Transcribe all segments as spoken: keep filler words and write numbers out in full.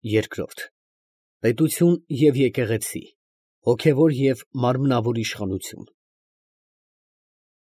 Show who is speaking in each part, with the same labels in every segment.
Speaker 1: Երկրորդ պետություն և եկեղեցի, հոգևոր և մարմնավոր իշխանություն։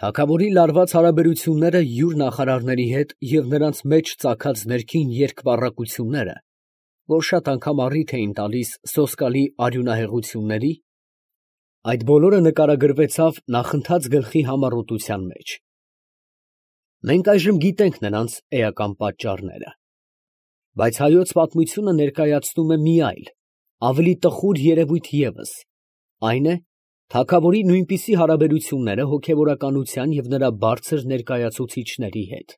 Speaker 1: Թագավորի լարված հարաբերությունները յուր նախարարների հետ և նրանց մեջ ծագած ներքին երկպառակությունները, որ շատ անգամ առիթ էին տալիս սոսկալի արյունահեղությունների, այդ բոլորը նկարագրվեցավ նախընթաց գլխի համառոտության մեջ։ Մենք այժմ գիտենք նրանց էական պատճառները, բայց հայոց պատմությունը ներկայացնում է մի այլ, ավելի տխուր երևույթ ևս, այն է, թագավորի նույնպիսի հարաբերությունները հոգևորականության և նրա բարձր ներկայացուցիչների հետ։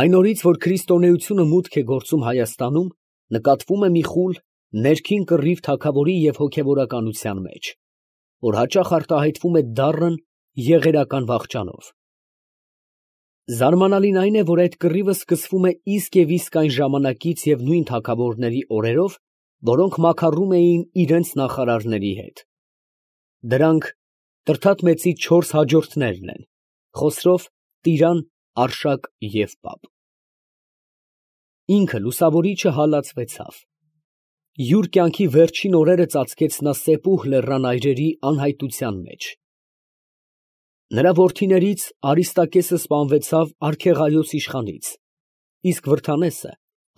Speaker 1: Այն օրից, որ քրիստոնեությունը մուտք է գործում Հայաստանում, նկատվում է մի խուլ, ներքին կռիվ թագավորի և հոգևորականության մեջ, որ հաճախ արտահայտվում է դառն եղերական վախճանով։ Զարմանալին այն է, որ այդ կռիվը սկսվում է իսկ և իսկ այն ժամանակից և նույն թագավորների օրերով, որոնք մաքարում էին իրանց նախարարների հետ։ Դրանք Տրդատ մեծի չորս հաջորդներն են՝ Խոսրով, Տիրան, Արշակ և Պապ։ Ինքը լուսավորիչը հալածվեցավ։ Յուր կյանքի վերջին օրերը ծածկեց նա Սեպուհ լեռան այրերի անհայտության մեջ։ Նրա որդիներից Արիստակեսը սպանվեցավ արքեղայոս իշխանից, իսկ Վրդանեսը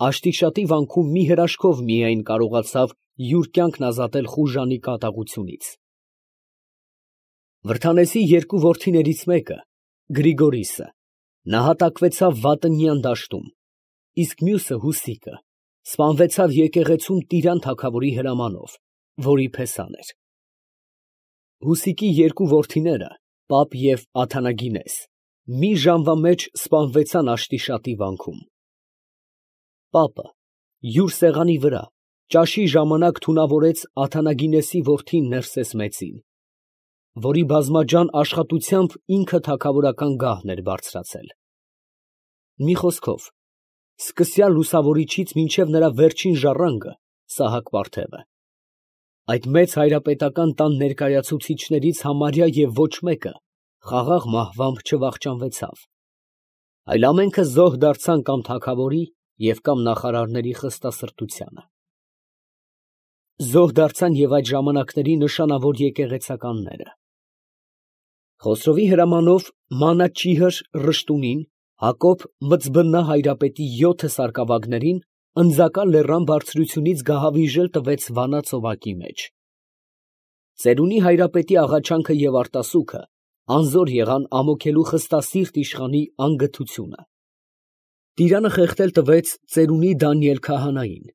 Speaker 1: Աշտիշատի վանքում մի հրաշքով միայն կարողացավ յուր կյանքն ազատել խուժանի կատաղությունից։ Վրդանեսի երկու որդիներից մեկը, Գրիգորիսը, նահատակվեցավ Վատնյան դաշտում, իսկ մյուսը՝ Հուսիկը, սպանվեցավ եկեղեցում Տիրան թագավորի հրամանով, որի փեսան էր։ Հուսիկի երկու որդիները՝ Պապ և Աթանագինես, մի ժամվա մեջ սպանվեցան Աշտիշատի վանքում։ Պապը յուր սեղանի վրա ճաշի ժամանակ թունավորեց Աթանագինեսի որդին Ներսես մեծին, որի բազմաջան աշխատությամբ ինքը թագավորական գահն էր բարձրացել։ Մի խոսքով, սկսյալ լուսավորիչից մինչև նրա վերջին ժառանգը՝ Սահակ պարթևը, այդ մեծ հայրապետական տան ներկայացուցիչներից համարյա և ոչ մեկը խաղաղ մահվամբ չվախճանվեցավ, այլ ամենքը զոհ դարձան կամ թագավորի և կամ նախարարների խստասրտությանը։ Զոհ դարձան և այդ ժամանակների նշանավոր եկեղեցականները։ Խոսրովի հրամանով Մանաչիհր Ռշտունին Հակոբ Մծբննա հայրապետի յոթը սարկավագներին Ընձակա լեռան բարձրությունից գահավիժել տվեց Վանա ծովակի մեջ։ Ծերունի հայրապետի աղաչանքը և արտասուքը անզոր եղան ամոքելու խստասիրտ իշխանի անգթությունը։ Տիրանը խեղդել տվեց ծերունի Դանիել քահանային,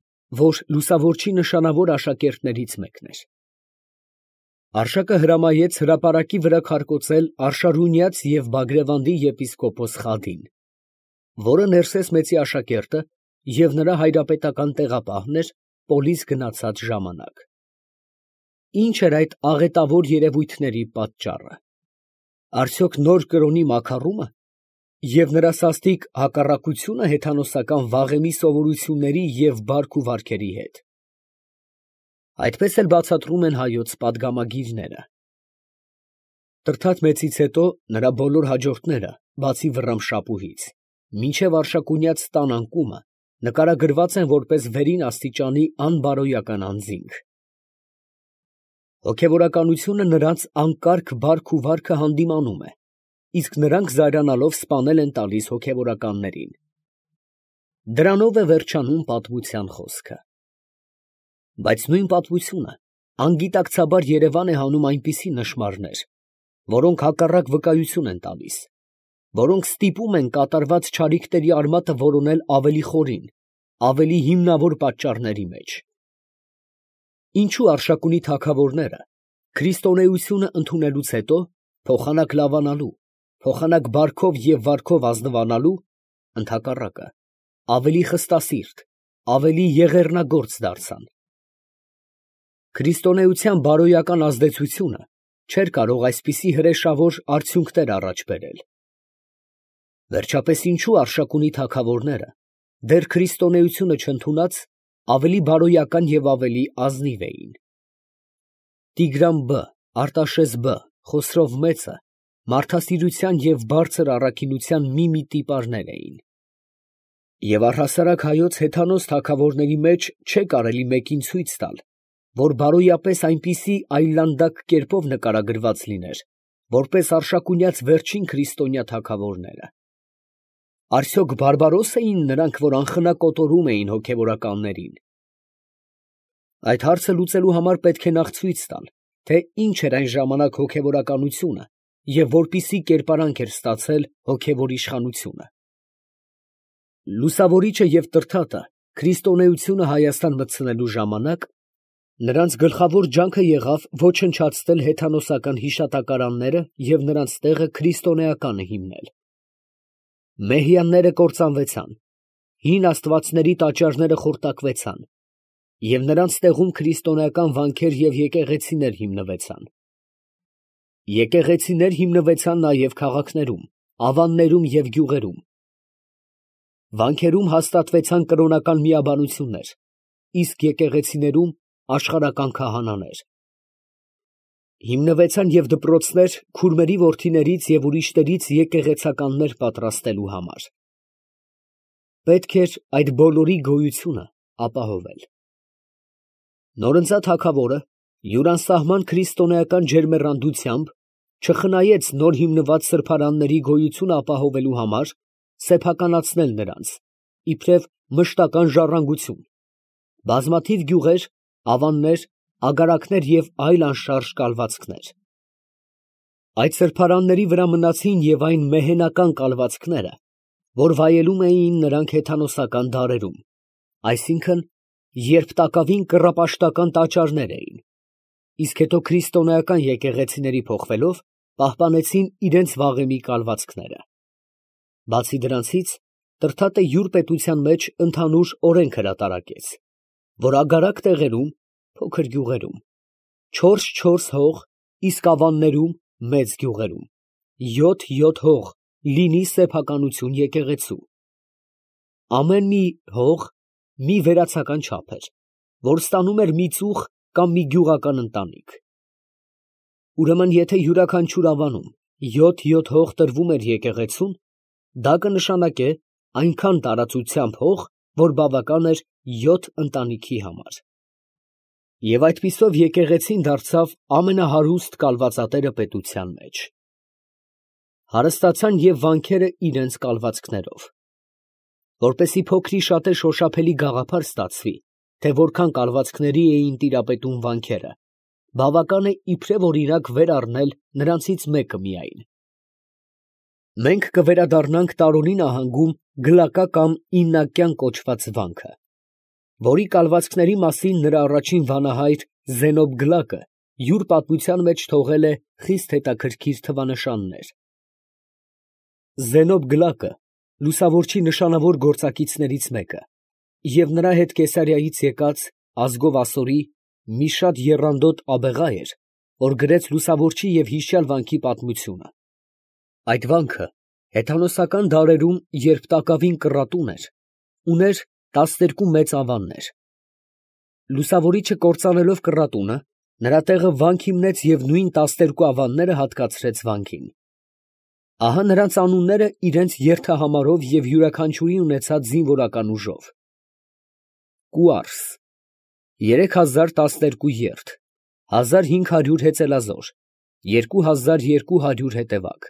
Speaker 1: որ լուսավորչի նշանավոր աշակերտներից մեկն էր։ Արշակը հրամայեց հրապարակի վրա քարկոծել Արշարունյաց և Բագրևանդի եպիսկոպոս Խադին, որը Ներսես մեծի աշակերտը և նրա հայրապետական տեղապահն էր պոլիս գնացած ժամանակ։ Ի՞նչ էր այդ աղետավոր երևույթների պատճառը։ Արդյոք նոր կրոնի մաքարո՞ւմը և նրա սաստիկ հակառակությո՞ւնը հեթանոսական վաղեմի սովորությունների և բարք ու վարքերի հետ։ Այդպես էլ բացատրում են հայոց պատգամագիրները։ Տրդատ մեծից հետո նրա բոլոր հաջորդները, բացի Վռամշապուհից, մինչև Արշակունյաց տան անկումը, նկարագրված են որպես վերին աստիճանի անբարոյական անձինք։ Հոգևորականությունը նրանց անկարգ բարք ու վարքը հանդիմանում է, իսկ նրանք զայրանալով սպանել են տալիս հոգևորականներին։ Դրանով է վերջանում պատմության խոսքը։ Բայց նույն պատմությունը անգիտակցաբար երևան է հանում այնպիսի նշմարներ, որոնք հակառակ վկայություն են տալիս, որոնք ստիպում են կատարված չարիքների արմատը որոնել ավելի խորին, ավելի հիմնավոր պատճառների մեջ։ Ինչո՞ւ Արշակունի թագավորները քրիստոնեությունը ընդունելուց հետո, փոխանակ լավանալու, փոխանակ բարքով և վարքով ազնվանալու, ընդհակառակը, ավելի խստասիրտ, ավելի եղեռնագործ դարձան։ Քրիստոնեության բարոյական ազդեցությունը չէր կարող այսպիսի հրեշավոր արդյունքներ առաջ բերել։ Վերջապես ինչո՞ւ Արշակունի թագավորները, դեռ քրիստոնեությունը չընդունած, ավելի բարոյական և ավելի ազնիվ էին։ Տիգրան Բ, Արտաշես Բ, Խոսրով մեծը մարդասիրության և բարձր առաքինության մի֊մի տիպարներ էին։ Եվ առհասարակ հայոց հեթանոս թագավորների մեջ չէ կարելի մեկին ցույց տալ, որ բարոյապես այնպիսի այլանդակ կերպով նկարագրված լիներ, որպես արշակունյաց վերջին քրիստոնյա թագավորները։ Արդյոք բարբարոս էին նրանք, որ անխնա կոտորում էին հոգևորականներին։ Այդ հարցը լուծելու համար պետք է նախ ցույց տալ, թե ինչ էր այն ժամանակ հոգևորականությունը և որպիսի կերպարանք էր ստացել հոգևոր իշխանությունը։ Լուսավորիչը և Տրդատը քրիստոնեությունը Հայաստան մտցնելու ժամանակ նրանց գլխավոր ջանքը եղավ ոչնչացնել հեթանոսական հիշատակարանները և նրանց տեղը քրիստոնեականը հիմնել։ Մեհյանները կործանվեցան, հին աստվածների տաճարները խորտակվեցան, և նրանց տեղում քրիստոնեական վանքեր և եկեղեցիներ հիմնվեցան։ Եկեղեցիներ հիմնվեցան նաև քաղաքներում, ավաններում և գյուղերում։ Վանքերում հաստատվեցան կրոնական միաբանություններ, իսկ եկեղեցիներում աշխարհական քահանաներ։ Հիմնվեցան և դպրոցներ քուրմերի որդիներից և ուրիշներից եկեղեցականներ պատրաստելու համար։ Պետք էր այդ բոլորի գոյությունը ապահովել։ Նորընծա թագավորը յուր անսահման քրիստոնեական ջերմեռանդությամբ չխնայեց նոր հիմնված սրբարանների գոյությունը ապահովելու համար սեփականացնել նրանց, իբրև մշտական ժառանգություն, բազմաթիվ գյուղեր, ավաններ, ագարակներ և այլ անշարժ կալվածքներ։ Այդ սրբարանների վրա մնացին և այն մեհենական կալվածքները, որ վայելում էին նրանք հեթանոսական դարերում, այսինքն, երբ տակավին կռապաշտական տաճարներ էին, իսկ հետո քրիստոնեական եկեղեցիների փոխվելով, պահպանեցին իրենց վաղեմի կալվածքները։ Բացի դրանցից, Տրդատը յուր պետության մեջ ընդհանուր օրենք հրատարակեց, որ ագարակ տեղերում, փոքր գյուղերում, չորս֊չորս հող, իսկ ավաններում, մեծ գյուղերում, յոթ֊յոթ հող լինի սեփականություն եկեղեցու։ Ամեն մի հող մի վերացական չափ էր, որ ստանում էր մի ծուխ կամ մի գյուղական ընտանիք։ Ուրեմն եթե յուրաքանչյուր ավանում յոթ֊յոթ հող տրվում էր եկեղեցուն, դա կնշանակե այնքան տարածությամբ հող, որ բավական էր յոթ ընտանիքի համար։ Եվ այդպիսով եկեղեցին դարձավ ամենահարուստ կալվածատերը պետության մեջ։ Հարստացան և վանքերը իրենց կալվածքներով։ Որպեսզի փոքրիշատե շոշափելի գաղափար ստացվի, թե որքան կալվածքների էին տիրապետում վանքերը, բավական է իբրև օրինակ վեր առնել նրանցից մեկը միայն։ Մենք կվերադառնանք Տարոնի նահանգում Գլակա կամ Իննակյան կոչված վանքը, որի կալվածքների մասին նրա առաջին վանահայր Զենոբ Գլակը յուր պատմության մեջ թողել է խիստ հետաքրքիր թվանշաններ։ Զենոբ Գլակը լուսավորչի նշանավոր գործակիցներից մեկը և նրա հետ Կեսարիայից եկած, ազգով ասորի, մի շատ եռանդոտ աբեղա էր, որ գրեց լուսավորչի և հիշյալ վանքի պատմությունը։ Այդ վանքը հեթանոսական դարերում, երբ տակավին կռատուն էր, ուներ տասներկու մեծ ավաններ։ Լուսավորիչը կործանելով կռատունը, նրա տեղը վանք հիմնեց և նույն տասներկու ավանները հատկացրեց վանքին։ Ահա նրանց անունները իրենց երթահամարով և յուրաքանչյուրի ունեցած զինվորական ուժով. Կուարս ֊ երեք հազար տասներկու երթ, հազար հինգ հարյուր հեծելազոր, երկու հազար երկու հարյուր հետևակ։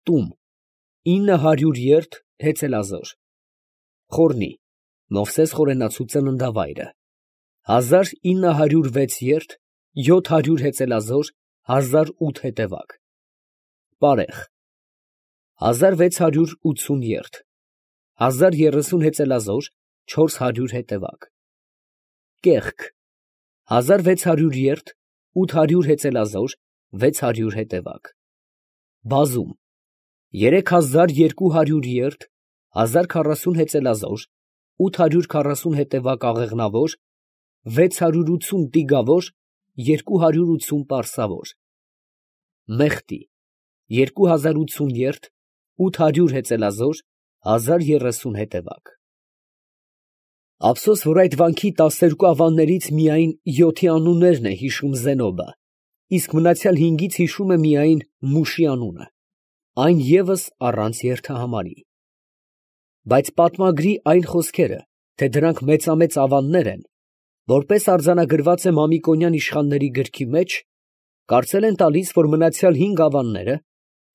Speaker 1: Տում ֊ ինը հարյուր երթ, հեծելազոր։ Խորնի ֊ Մովսես խորենացու ծննդավայրը, հազար ինը հարյուր վեց երթ, յոթ հարյուր հեծելազոր, հազար ութ հետևակ։ Պարեխ ֊ հազար վեց հարյուր ութսուն երթ, հազար երեսուն հեծելազոր, չորս հարյուր հետևակ։ Կեղք ֊ հազար վեց հարյուր երթ, ութ հարյուր հեծելազոր, վեց հարյուր հետևակ։ Բազում ֊ երեք հազար երկու հարյուր երթ, հազար քառասուն հեծելազոր, ութ հարյուր քառասուն հետևակ աղեղնավոր, վեց հարյուր ութսուն տիգավոր, երկու հարյուր ութսուն պարսավոր։ Մեխտի ֊ երկու հազար ութսուն երթ, ութ հարյուր հեծելազոր, հազար երեսուն հետևակ։ Ափսոս, որ այդ վանքի տասներկու ավաններից միայն յոթի անուններն է հիշում Զենոբը, իսկ մնացյալ հինգից հիշում է միայն Մուշի անունը, այն ևս առանց երթահամարի։ Բայց պատմագրի այն խոսքերը, թե դրանք մեծամեծ ավաններ են, որպես արձանագրված է Մամիկոնյան իշխանների գրքի մեջ, կարծել են տալիս, որ մնացյալ հինգ ավանները,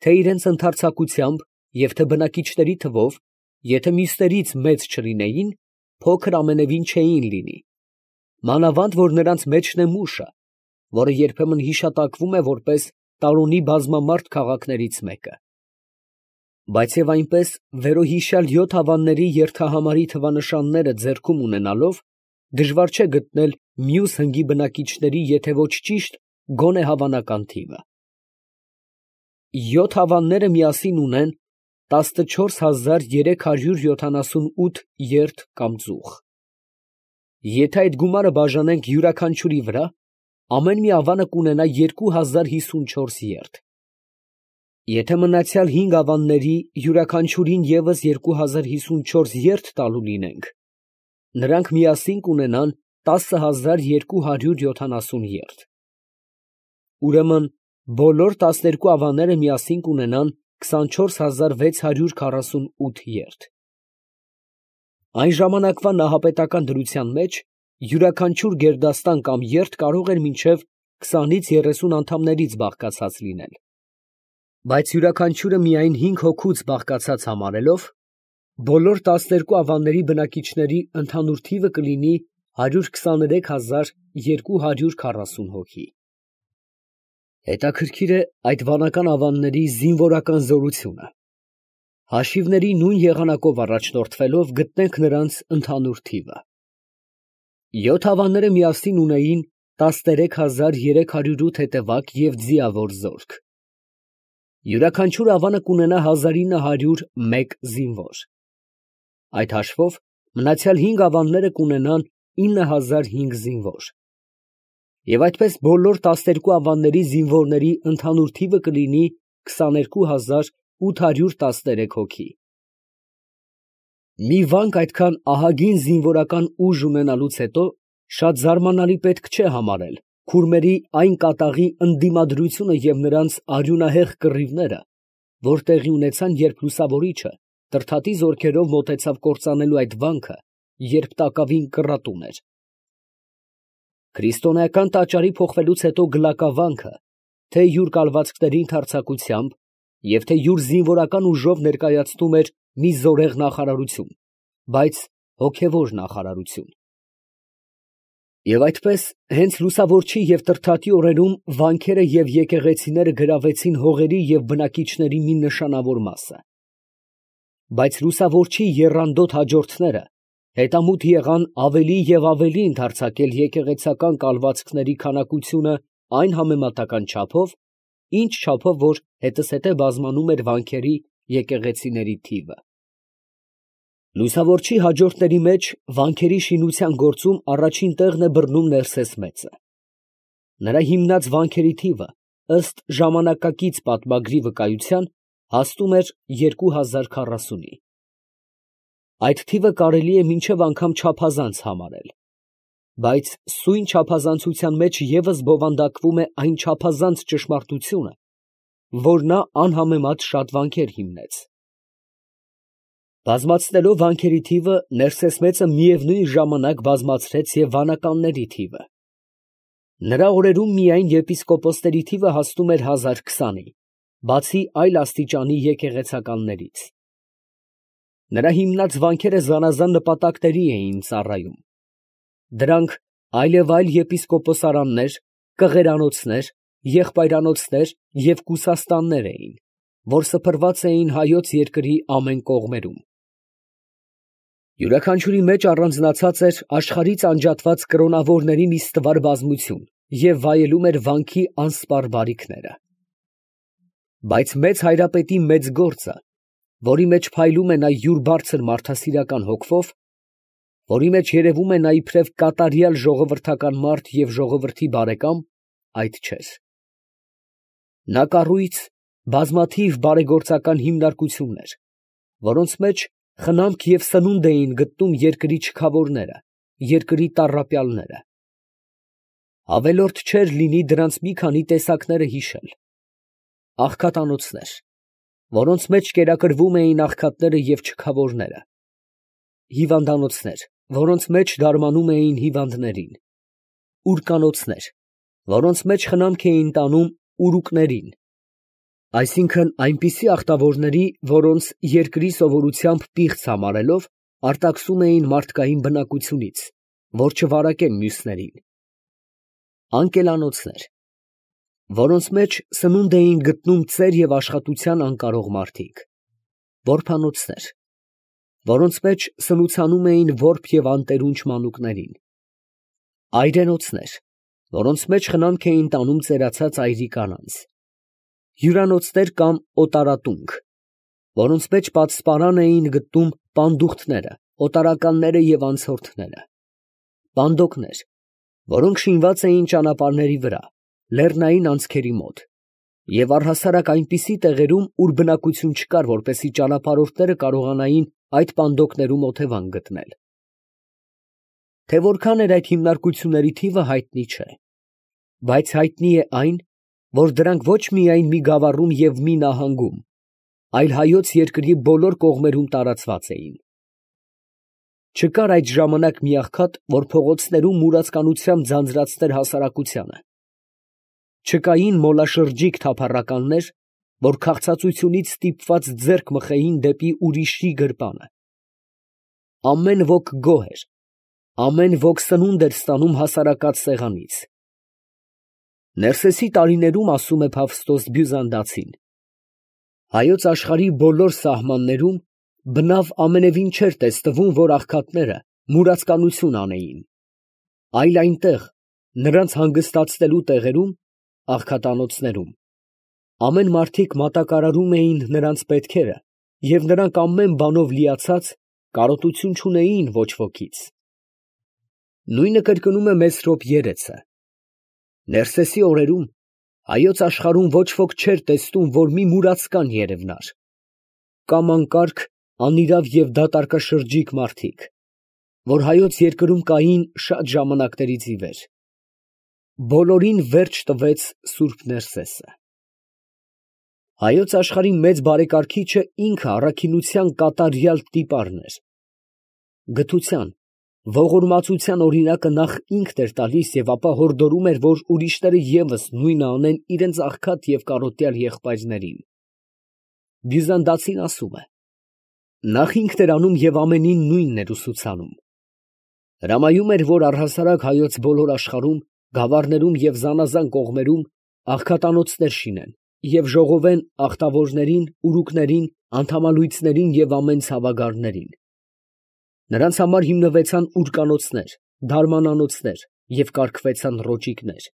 Speaker 1: թե իրենց ընդարձակությամբ և թե բնակիչների թվով, եթե մյուսներից մեծ չլինեին, փոքր ամենևին չէին լինի, մանավանդ որ նրանց մեջն է Մուշը, որը երբեմն հիշատակվում է որպես Տարոնի բազմամարդ քաղաքներից մեկը։ Բայց և այնպես վերոհիշյալ յոթ ավանների երթահամարի թվանշանները ձեռքում ունենալով, դժվար չէ գտնել մյուս հնգի բնակիչների եթե ոչ ճիշտ, գոնե հավանական թիվը։ Յոթ ավանները միասին ունեն տասնչորս հազար երեք հարյուր յոթանասունութ երդ կամ ծուխ։ Եթե այդ գումարը բաժանենք յուրաքանչյուրի վրա, ամեն մի ավանը կունենա երկու հազար հիսունչորս երդ։ Եթե մնացյալ հինգ ավանների յուրաքանչյուրին ևս երկու հազար հիսունչորս երդ տալու լինենք, նրանք միասին կունենան տասը հազար երկու հարյուր յոթանասուն երդ։ Ուրեմն բոլոր տասներկու ավանները միասին կունենան քսանչորս հազար վեց հարյուր քառասունութ երդ։ Այն ժամանակվա նահապետական դրության մեջ յուրաքանչյուր գերդաստան կամ երդ կարող էր մինչև քսանից երեսուն անդամներից բաղկացած լինել, բայց յուրաքանչյուրը միայն հինգ հոգուց բաղկացած համարելով, բոլոր տասներկու ավանների բնակիչների ընդհանուր թիվը կլինի հարյուր քսաներեք հազար երկու հարյուր քառասուն հոգի։ Հետաքրքիր է այդ վանական ավանների զինվորական զորությունը։ Հաշիվների նույն եղանակով առաջնորդվելով գտնենք նրանց ընդհանուր թիվը։ Յոթ ավանները միասին ունեին տասներեք հազար երեք հարյուր ութ հետևակ և ձիավոր զորք։ Յուրաքանչյուր ավանը կունենա հազար ինը հարյուր մեկ զինվոր։ Այդ հաշվով մնացյալ հինգ ավանները կունենան ինը հազար հինգ զինվոր։ Եվ այդպես բոլոր տասներկու ավանների զինվորների ընդհանուր թիվը կլինի քսաներկու հազար ութ հարյուր տասներեք հոգի։ Մի վանք այդքան ահագին զինվորական ուժ ունենալուց հետո շատ զարմանալի պետք չէ համարել քուրմերի այն կատաղի ընդդիմադրությունը և նրանց արյունահեղ կռիվները, որ տեղի ունեցան, երբ լուսավորիչը Տրդատի զորքերով մոտեցավ կործանելու այդ վանքը, երբ տակավին կռատում էր։ Քրիստոնեական տաճարի փոխվելուց հետո Գլակավանքը, թե յուր կալվածքների ընդարձակությամբ և թե յուր զինվորական ուժով ներկայացնում էր մի զորեղ նախարարություն, բայց հոգևոր նախարարություն։ Եվ այդպես հենց լուսավորչի և Տրդատի օրերում վանքերը և եկեղեցիները գրավեցին հողերի և բնակիչների մի նշանավոր մասը։ Բայց լուսավորչի եռանդոտ հաջորդները հետամուտ եղան ավելի և ավելի ընդարձակել եկեղեցական կալվածքների քանակությունը այն համեմատական չափով, ինչ չափով որ հետզհետե բազմանում էր վանքերի, եկեղեցիների թիվը։ Լուսավորչի հաջորդների մեջ վանքերի շինության գործում առաջին տեղն է բռնում Ներսես մեծը։ Նրա հիմնած վանքերի թիվը, ըստ ժամանակակից պատմագրի վկայության, հասնում էր երկու հազար քառասունի։ Այդ թիվը կարելի է մինչև անգամ չափազանց համարել, բայց սույն չափազանցության մեջ ևս բովանդակվում է այն չափազանց ճշմարտությունը, որ նա անհամեմատ շատ վանքեր հիմնեց։ Բազմացնելով վանքերի թիվը, Ներսես մեծը միևնույն ժամանակ բազմացրեց և վանականների թիվը։ Նրա օրերում միայն եպիսկոպոսների թիվը հասնում էր հազար քսանի, բացի այլ աստիճանի եկեղեցականներից։ Նրա հիմնած վանքերը զանազան նպատակների էին ծառայում։ Դրանք այլևայլ եպիսկոպոսարաններ, կղերանոցներ, եղբայրանոցներ և կուսաստաններ էին, որ սփռված էին հայոց երկրի ամեն կողմերում։ Յուրաքանչյուրի մեջ առանձնացած էր աշխարհից անջատված կրոնավորների մի ստվար բազմություն և վայելում էր վանքի անսպառ բարիքները։ Բայց մեծ հայրապետի մեծ գործը, որի մեջ փայլում է նա յուր բարձր մարդասիրական հոգվով, որի մեջ երևում է նա իբրև կատարյալ ժողովրդական մարդ և ժողովրդի բարեկամ, այդ չէր։ Նա կառույց բազմաթիվ բարեգործական հիմնարկություններ, որոնց մեջ խնամք և սնունդ էին գտնում երկրի չքավորները, երկրի տառապյալները։ Ավելորդ չէր լինի դրանց մի քանի տեսակները հիշել. աղքատանոցներ, որոնց մեջ կերակրվում էին աղքատները և չքավորները, հիվանդանոցներ, որոնց մեջ դարմանում էին հիվանդներին, ուրկանոցներ, որոնց մեջ խնամք էին տանում ուրուկներին, այսինքն այնպիսի աղտավորների, որոնց երկրի սովորությամբ պիղծ համարելով, արտաքսում էին մարդկային բնակությունից, որ չվարակեն մյուսներին, անկելանոցներ, որոնց մեջ սնունդ էին գտնում ծեր և աշխատության անկարող մարդիկ, որբանոցներ, որոնց մեջ սնուցանում էին որբ և անտերունջ մանուկներին, այրենոցներ, որոնց մեջ խնամք էին տանում ծերացած այրի կանանց, հյուրանոցներ կամ օտարատունք, որոնց մեջ պատսպարան էին գտնում պանդուխտները, օտարականները և անցորդները, պանդոկներ, որոնք շինված էին ճանապարհների վրա, լեռնային անցքերի մոտ, և առհասարակ այնպիսի տեղերում, ուր բնակություն չկար, որպեսզի ճանապարհորդները կարողանային այդ պանդոկներում օթևան գտնել։ Թե որքան էր այդ հիմնարկությունների թիվը հայտնի չէ, բայց հայտնի է այն, որ դրանք ոչ միայն մի գավառում և մի նահանգում, այլ հայոց երկրի բոլոր կողմերում տարածված էին։ Չկար այդ ժամանակ մի աղքատ, որ փողոցներում մուրացկանությամբ ձանձրացներ հասարակությանը, չկային մոլաշրջիկ թափառականներ, որ քաղցածությունից ստիպված ձեռք մխեին դեպի ուրիշի գրպանը։ Ամեն ոք գոհ էր, ամեն ոք սնունդ էր ստանում հասարակած սեղանից։ Ներսեսի տարիներում, ասում է Փավստոս Բյուզանդացին, հայոց աշխարհի բոլոր սահմաններում բնավ ամենևին չէր տեսնվում, որ աղքատները մուրացկանություն անեին, այլ այնտեղ, նրանց հանգստացնելու տեղերում, աղքատանոցներում, ամեն մարդիկ մատակարարում էին նրանց պետքերը, և նրանք ամեն բանով լիացած, կարոտություն չունեին ոչ ոքից։ Նույնը կրկնում է Մեսրոպ երեցը. Ներսեսի օրերում հայոց աշխարհում ոչ ոք չէր տեսնում, որ մի մուրացկան երևնար, կամ անկարգ, անիրավ և դատարկաշրջիկ մարդիկ, որ հայոց երկրում կային շատ ժամանակներից ի վեր։ Բոլորին վերջ տվեց սուրբ Ներսեսը։ Հայոց աշխարհի մեծ բարեկարգիչը ինքը առաքինության կատարյալ տիպարն էր։ Գթության, ողորմածության օրինակը նախ ինքն էր տալիս և ապա հորդորում էր, որ ուրիշները ևս նույնը անեն իրենց աղքատ և կարոտյալ եղբայրներին։ Բյուզանդացին ասում է. նախ ինքն էր անում և ամենին նույնն էր ուսուցանում։ Հրամայում էր, որ առհասարակ հայոց բոլոր աշխարհում, գավառներում և զանազան կողմերում աղքատանոցներ շինեն և ժողովեն աղտավորներին, ուրուկներին, անդամալույծներին և ամեն ցավագարներին։ Նրանց համար հիմնվեցան ուրկանոցներ, դարմանանոցներ և կարգվեցան ռոճիկներ։